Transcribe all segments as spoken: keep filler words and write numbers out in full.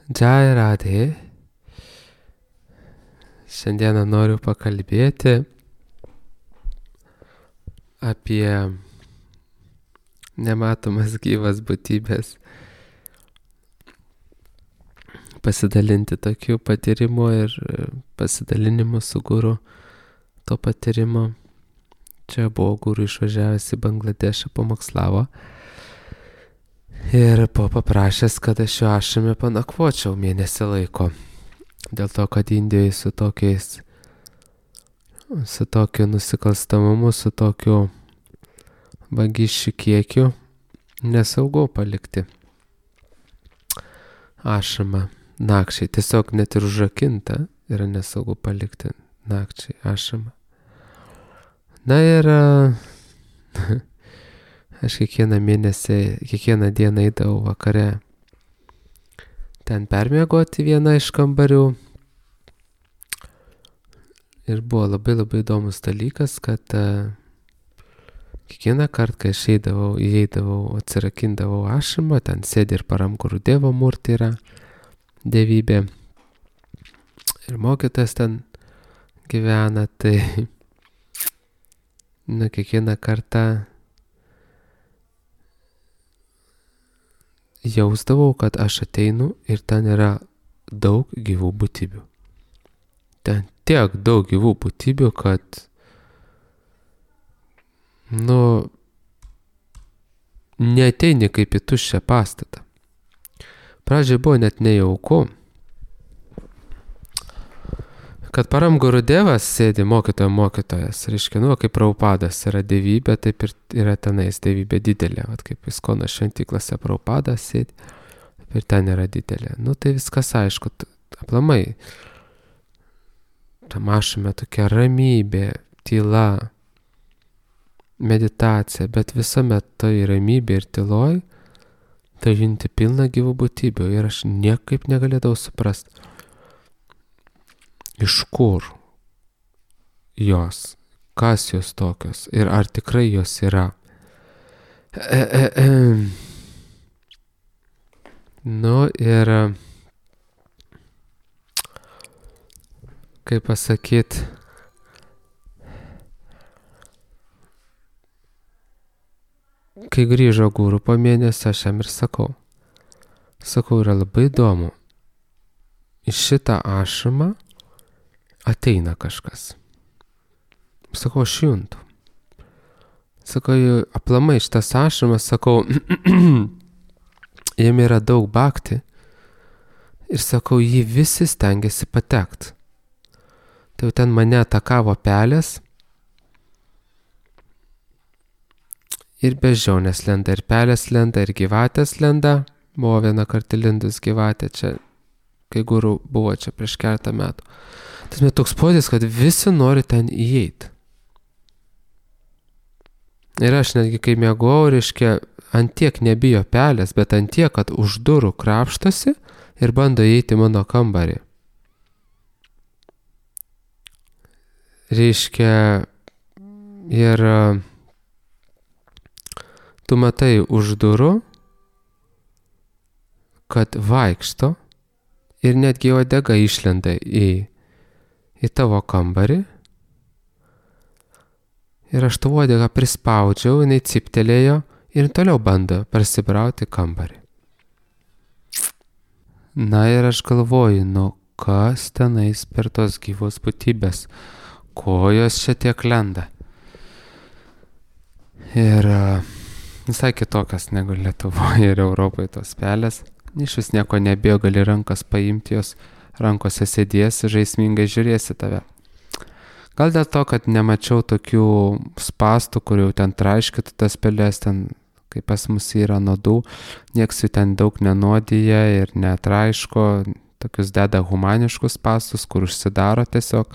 Jai Radhe. Šiandieną noriu pakalbėti apie nematomas gyvas būtybės. Pasidalinti tokiu patyrimu ir pasidalinimu su guru to patyrimo. Čia buvo guru išvažiavęs į Bangladešą, pamokslavo. Ir buvo paprašęs, kad aš jo ašrame panakvočiau mėnesį laiko. Dėl to, kad Indijoje su tokiais, su tokiu nusikalstamumu, su tokiu vagysčių kiekiu nesaugu palikti ašramą nakčiai. Tiesiog net ir užrakinta yra nesaugu palikti nakčiai ašramą. Na ir aš kiekvieną mėnesį, kiekvieną dieną eidavau vakare ten permiegoti vieną iš kambarių. Ir buvo labai labai įdomus dalykas, kad uh, kiekvieną kartą, kai aš eidavau, įeidavau, atsirakindavau ašramą, ten sėdi ir Paramguru Devo Murti yra dievybė. Ir mokytojas ten gyvena, tai na, kiekvieną kartą jausdavau, kad aš ateinu ir ten yra daug gyvų būtybių. Ten tiek daug gyvų būtybių, kad, nu, neateini kaip į tuščią pastatą. Pradžiai buvo net nejauku, kad Paramguru Devas sėdi mokytojo mokytojas. Reiškia, nu, kaip Prabhupadas yra dievybė, taip ir yra tenais dievybė didelė. Vat kaip Iskono šventyklose Prabhupadas sėdi, taip ir ten yra didelė. Nu, tai viskas aišku, aplamai. Tam ašrame tokia ramybė, tyla, meditacija, bet visuomet tai ramybė ir tyloj, tai junti pilna gyvų būtybių ir aš niekaip negalėdavau suprasti, iš kur jos, kas jos tokios ir ar tikrai jos yra. E, e, e. Nu ir, kaip pasakyt, kai grįžo guru po mėnesio, aš jam ir sakau, sakau, yra labai įdomu, iš šitą ašramą ateina kažkas. Sakau, aš juntu. Sakau, aplamai šitas ašramas, sakau, jame yra daug bhakti ir sakau, jį visi stengiasi patekt. Tai ten mane atakavo pelės ir bežionės lenda, ir pelės lenda, ir gyvatės lenda. Buvo vieną kartą lindus gyvatė čia, kai guru buvo čia prieš keletą metų. Tas toks podės, kad visi nori ten įeiti. Ir aš netgi kai miegojau, reiškia, ant tiek nebijo pelės, bet ant tiek, kad už durų krapštasi ir bando įeiti mano kambarį. Reiškia, ir tu matai už durų, kad vaikšto ir netgi uodega išlenda į į tavo kambarį. Ir aš tą uodegą prispaudžiau, jinai ciptelėjo ir toliau bando prasibrauti kambarį. Na ir aš galvoju, nu kas tenais per tos gyvos būtybės, ko jos čia tiek lenda. Ir visai kitokios negu Lietuvoje ir Europoje tos pelės. Iš vis nieko nebijo, gali rankas paimti, jos rankose sėdėsi, žaismingai žiūrėsi tave. Gal dėl to, kad nemačiau tokių spastų, kur jau ten traiškytų tas pelės, ten, kaip pas mus yra nuodų, nieks jų ten daug nenuodyja ir netraiško, tokius deda humaniškus spastus, kur užsidaro tiesiog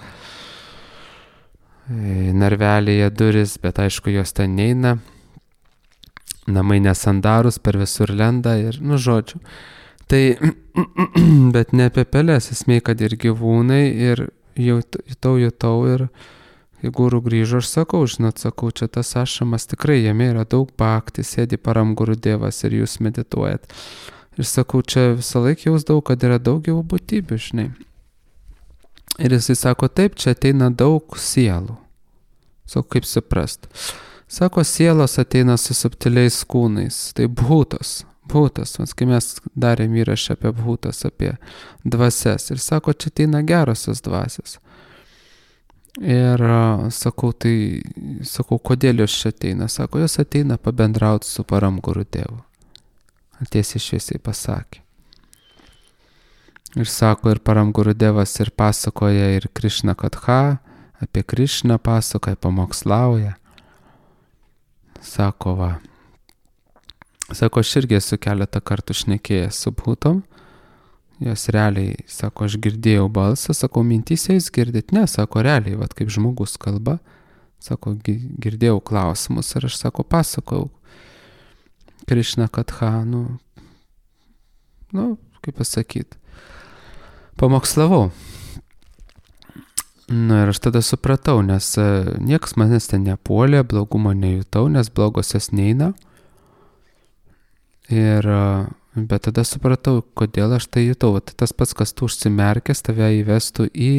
narvelėje duris, bet aišku, jos ten neina. Namai nesandarus, per visur lenda ir, nu, žodžiu. Tai, bet ne apie pelės, esmė, kad ir gyvūnai, ir jutau, jutau, ir kai guru grįžo, aš sakau, žinot, sakau, čia tas ašramas tikrai, jame yra daug bhakti, sėdi Paramguru Devas ir jūs medituojat. Ir sakau, čia visą laiką jausdavau, kad yra daug gyvų būtybių, žinai. Ir jisai sako, taip, čia ateina daug sielų. Sakau, kaip suprast. Sako, sielos ateina su subtiliais kūnais. Tai bhutas, bhutas. Mas, kai mes darėm įrašą apie bhutas, apie dvasias. Ir sako, čia ateina gerosios dvasios. Ir sakau, tai, sakau, kodėl jos čia ateina? Sako, jos ateina pabendrauti su Param Guru Devu. Tiesiai šviesiai pasakė. Ir sako, ir Param Guru Devas ir pasakoja ir Krishna Katha, apie Krishną pasakoja, pamokslauja. Sako, va. Sako, aš irgi esu keletą kartų šnekėjęs su bhutom. Jos realiai, sako, aš girdėjau balsą, sako, mintyse jūs girdit? Ne, sako, realiai, vat kaip žmogus kalba. Sako, girdėjau klausimus ir aš, sako, pasakau Krishna Katha, nu, nu, kaip pasakyti, pamokslavau. Nu ir aš tada supratau, nes niekas manęs ten nepuolė, blogumo nejutau, nes blogosios neina. Ir, bet tada supratau, kodėl aš tai jutau. Tai tas pats, kas tu užsimerkęs, tave įvestų į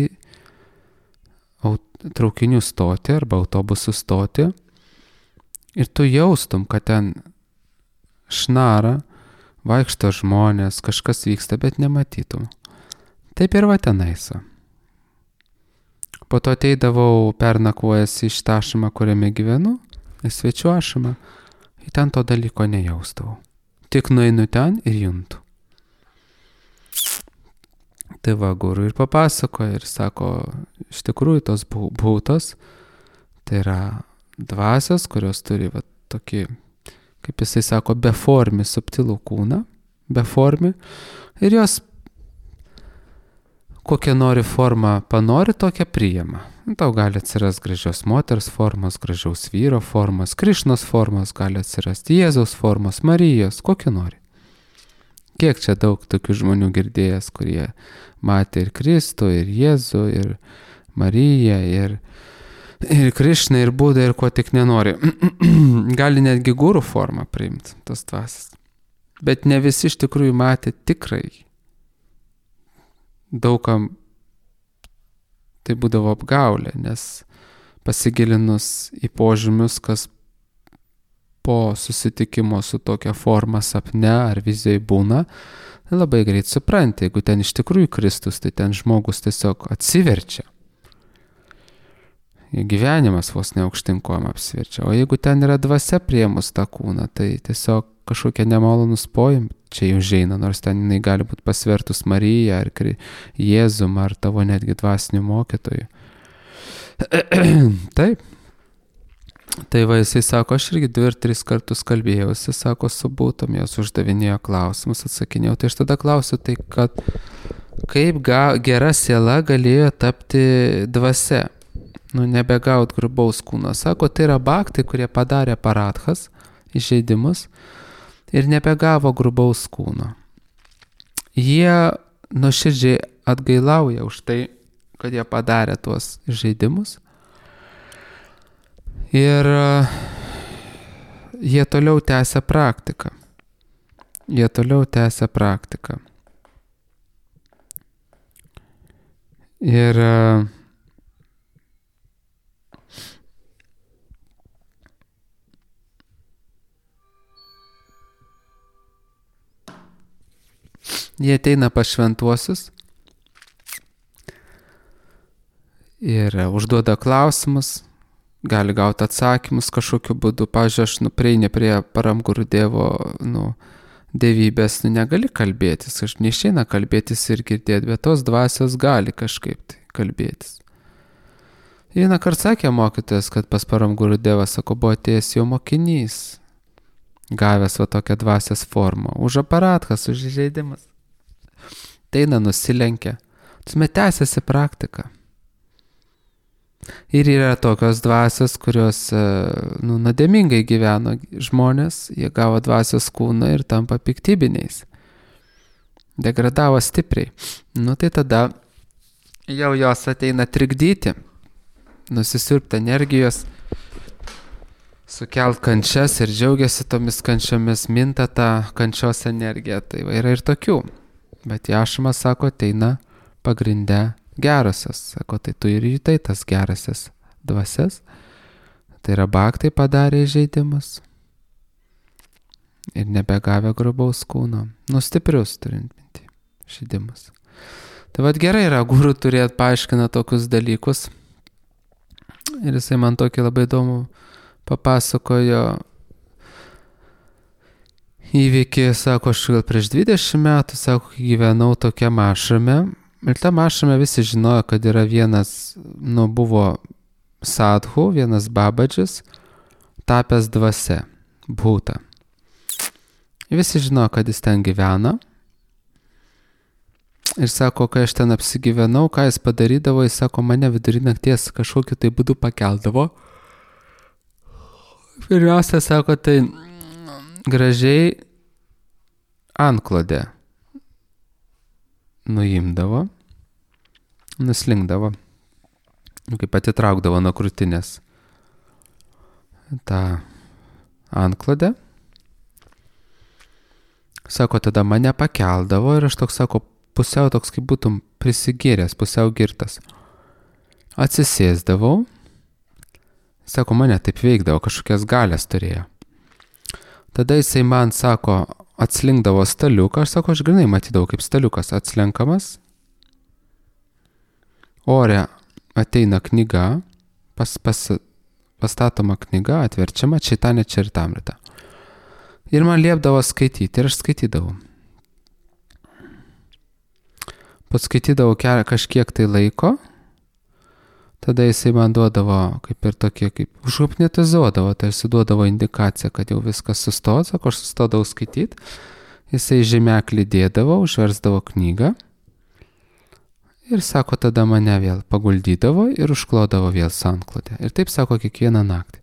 traukinių stotį arba autobusų stotį. Ir tu jaustum, kad ten šnara, vaikšto žmonės, kažkas vyksta, bet nematytum. Taip ir va tenaisa. Po to ateidavau pernakvojęs į šitą ašamą, kuriame gyvenu, į svečių ašamą, ir ten to dalyko nejaustau. Tik nueinu ten ir juntu. Tai va, guru ir papasakoja ir sako, iš tikrųjų tos bhutos, tai yra dvasios, kurios turi va, tokį, kaip jisai sako, beformį subtilų kūną, beformį, ir jos kokią nori formą panori, tokią priima. Tau gali atsirasti gražios moters formos, gražiaus vyro formos, Krišnos formos, gali atsirasti Jėzaus formos, Marijos, kokią nori. Kiek čia daug tokių žmonių girdėjęs, kurie matė ir Kristų, ir Jėzų, ir Mariją, ir, ir Krišną, ir Budą, ir ko tik nenori. Gali netgi gurų formą priimti, tos dvasias. Bet ne visi iš tikrųjų matė tikrai. Daugam tai būdavo apgaulė, nes pasigilinus į požymius, kas po susitikimo su tokia forma sapne ar vizijai būna, labai greit supranti, jeigu ten iš tikrųjų Kristus, tai ten žmogus tiesiog atsiverčia. Gyvenimas vos ne aukštinkojam apsiverčia. O jeigu ten yra dvasia priėmus tą kūną, tai tiesiog kažkokie nemalonus pojimai čia jau užeina, nors ten jinai gali būti pasvertus Mariją ar Jėzum ar tavo netgi dvasinių mokytojų. Taip. Tai va, jisai sako, aš irgi dvi ir tris kartus kalbėjausi, sako, su būtum, jos uždavinėjo klausimus, atsakinėjau. Tai aš tada klausiu, tai kad kaip ga, gera siela galėjo tapti dvasia, nu nebegaut grubaus kūno. Sako, tai yra bhaktai, kurie padarė paradhas, įžeidimus, ir nebegavo grubaus kūno. Jie nuoširdžiai atgailauja už tai, kad jie padarė tuos žaidimus. Ir jie toliau tęsia praktiką. Jie toliau tęsia praktiką. Ir jie ateina pas šventuosius ir užduoda klausimus, gali gauti atsakymus kažkokiu būdu. Pavyzdžiui, aš nu, prieini prie Param Guru Devo nu, dievybės, nu, negali kalbėtis, aš neišeina kalbėtis ir girdėti, bet tos dvasios gali kažkaip tai kalbėtis. Vieną kartą sakė mokytojas, kad pas Param Guru Devą, sako, buvo atėjęs jo mokinys, gavęs va tokią dvasios formą, už aparatkas, už įžeidimas. Teina nusilenkia, tuomet tęsiasi praktika. Ir yra tokios dvasios, kurios nu, nuodėmingai gyveno žmonės, jie gavo dvasios kūną ir tampa piktybiniais. Degradavo stipriai. Nu tai tada jau jos ateina trikdyti, nusisiurbti energijos, sukelt kančias ir džiaugiasi tomis kančiomis, minta tą kančios energiją. Tai va, yra ir tokių. Bet Jašmas sako, ateina pagrindę gerasias. Sako, tai tu ir jutai tas gerasias dvasias. Tai yra baktai padarė įžeidimus. Ir nebegavę grubaus kūno. Nustiprius turint minti. Žaidimus. Tai vad gerai yra guru turėt paaiškina tokius dalykus. Ir jisai man tokį labai įdomų papasakojo įvykį, sako, aš gal prieš dvidešimt metų, sako, gyvenau tokiam ašrame. Ir tam ašrame visi žinojo, kad yra vienas, nu, buvo sadhu, vienas babadžis, tapęs dvasia, bhūta. Visi žinojo, kad jis ten gyvena. Ir sako, kai aš ten apsigyvenau, ką jis padarydavo, jis sako, mane vidury nakties kažkokiu tai būdu pakeldavo. Pirmiausia, sako, tai gražiai antklodę nuimdavo, nuslinkdavo, kaip atitraukdavo nuo krūtinės tą antklodę. Sako, tada mane pakeldavo ir aš toks, sako, pusiau toks, kaip būtum prisigėręs, pusiau girtas. Atsisėsdavau. Sako, mane taip veikdavo, kažkokias galės turėjo. Tada jisai man, sako, atslinkdavo staliuką. Aš sako, aš grinai matydavau, kaip staliukas atslenkamas. Ore ateina knyga, pas, pas, pastatoma knyga, atverčiama, Čaitanė Čaritamrita. Ir man liepdavo skaityti ir aš skaitydavau. Paskaitydavau kažkiek tai laiko, tada jisai man duodavo kaip ir tokie, kaip užhipnotizuodavo, tai jisai duodavo indikaciją, kad jau viskas sustos, sako, aš sustodavau skaityti, jisai žemeklį dėdavo, užversdavo knygą ir sako, tada mane vėl paguldydavo ir užklodavo vėl sanklodę. Ir taip sako kiekvieną naktį.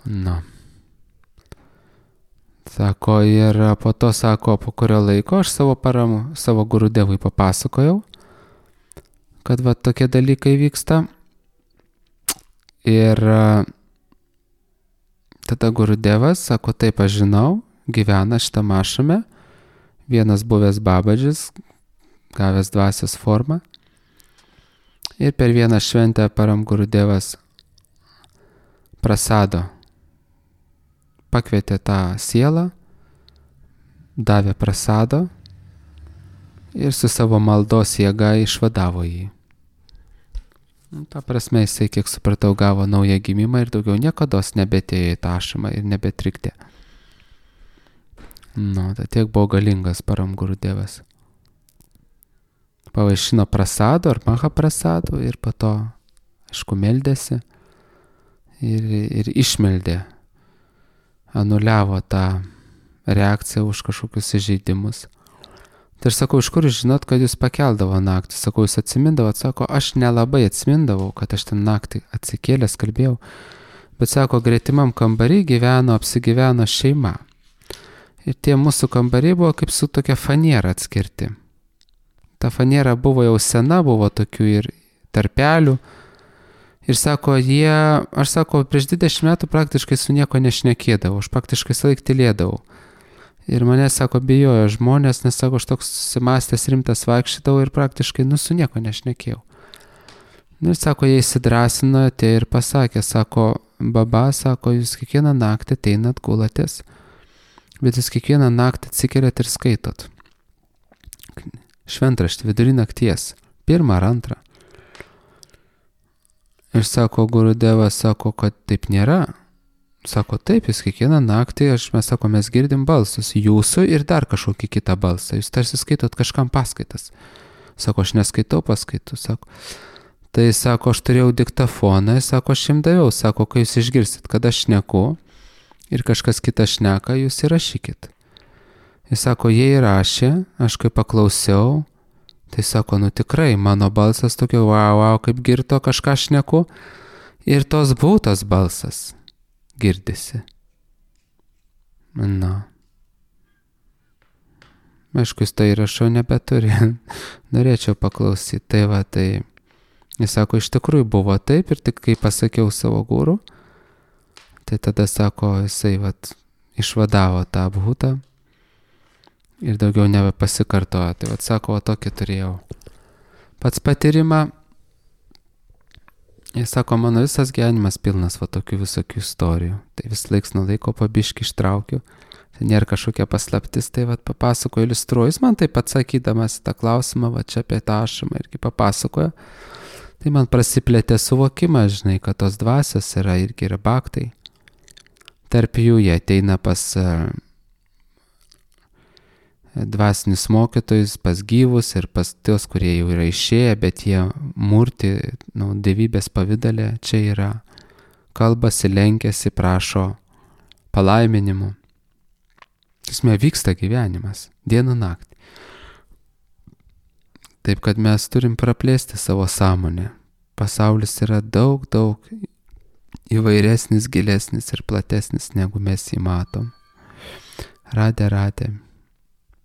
Na. Sako, ir po to, sako, po kurio laiko aš savo paramų, savo Gurudevui papasakojau, kad va tokie dalykai vyksta. Ir tada Gurudevas, sako, taip aš žinau, gyvena šitą ašrame, vienas buvęs babadžis, gavęs dvasios formą. Ir per vieną šventę param Gurudevas prasado. Pakvietė tą sielą, davė prasado ir su savo maldos jėga išvadavo jį. Ta prasme, jisai, kiek supratau, gavo naują gimimą ir daugiau niekados nebetėjo į tą ašramą ir nebetrikdė. Nu, tai tiek buvo galingas param Gurudevas. Pavaišino prasado ar maha prasado ir po to, aišku, meldėsi ir, ir išmeldė. Anuliavo tą reakciją už kažkokius įžeidimus. Tai aš sakau, iš kur jūs žinot, kad jūs pakeldavo naktį? Sakau, jūs atsimindavot? Sako, aš nelabai atsimindavau, kad aš ten naktį atsikėlęs kalbėjau. Bet sako, gretimam kambarį gyveno, apsigyveno šeima. Ir tie mūsų kambariai buvo kaip su tokia faniera atskirti. Ta faniera buvo jau sena, buvo tokių ir tarpelių. Ir sako, jie, aš sako, prieš dvidešimt metų praktiškai su nieko nešnekėdavau, aš praktiškai sąlaik tylėdavau. Ir mane, sako, bijojo žmonės, nes, sako, aš toks susimastęs rimtas vaikščiodavau ir praktiškai, nu, su nieko nešnekėjau. Ir sako, jie įsidrasino, tai ir pasakė, sako, baba, sako, jūs kiekvieną naktį ateinat, gulatės, bet jūs kiekvieną naktį atsikeliat ir skaitot. Šventraštį vidury nakties, pirmą ar antrą. Ir sako, Gurudevas, sako, kad taip nėra. Sako, taip, jūs kiekvieną naktį, aš, mes sako, mes girdim balsus, jūsų ir dar kažkokį kitą balsą. Jūs tarsi skaitot kažkam paskaitas. Sako, aš neskaitau paskaitų, sako. Tai sako, aš turėjau diktafoną, sako, aš jums daviau, sako, kai jūs išgirsit, kad aš šneku ir kažkas kitas šneka, jūs įrašykit. Jis sako, jie įrašė, aš kai paklausiau, tai sako, nu tikrai, mano balsas tokio, wow, wow, kaip girto kažką šneku. Ir tos būtos balsas girdisi. Na. Aišku, jis tai įrašau nebeturi. Norėčiau paklausyti. Tai va, tai Jis sako, iš tikrųjų buvo taip ir tik kai pasakiau savo guru, tai tada sako, jisai vat, išvadavo tą bhutą ir daugiau nebepasikartojo. Tai vat sako, o tokį turėjau. Pats patyrimą, jis sako, mano visas gyvenimas pilnas va tokių visokių istorijų. Tai vis laiks nuo laiko pabiški ištraukiu. Tai nėra kažkokia paslaptis, tai vat papasakoju, iliustruoju. Jis man taip atsakydamas tą klausimą, va čia apie tą ašamą irgi papasakojo. Tai man prasiplėtė suvokimas, žinai, kad tos dvasios yra irgi yra baktai. Tarp jų jie ateina pas uh, dvasinius mokytojus, pas gyvus ir pas tos, kurie jau yra išėję, bet jie murti, nu, dievybės pavidalė, čia yra, kalbasi, lenkiasi, prašo palaiminimų. Esmė vyksta gyvenimas, dieną naktį. Taip, kad mes turim praplėsti savo sąmonę. Pasaulis yra daug, daug įvairesnis, gilesnis ir platesnis, negu mes jį matom. Radė, radė.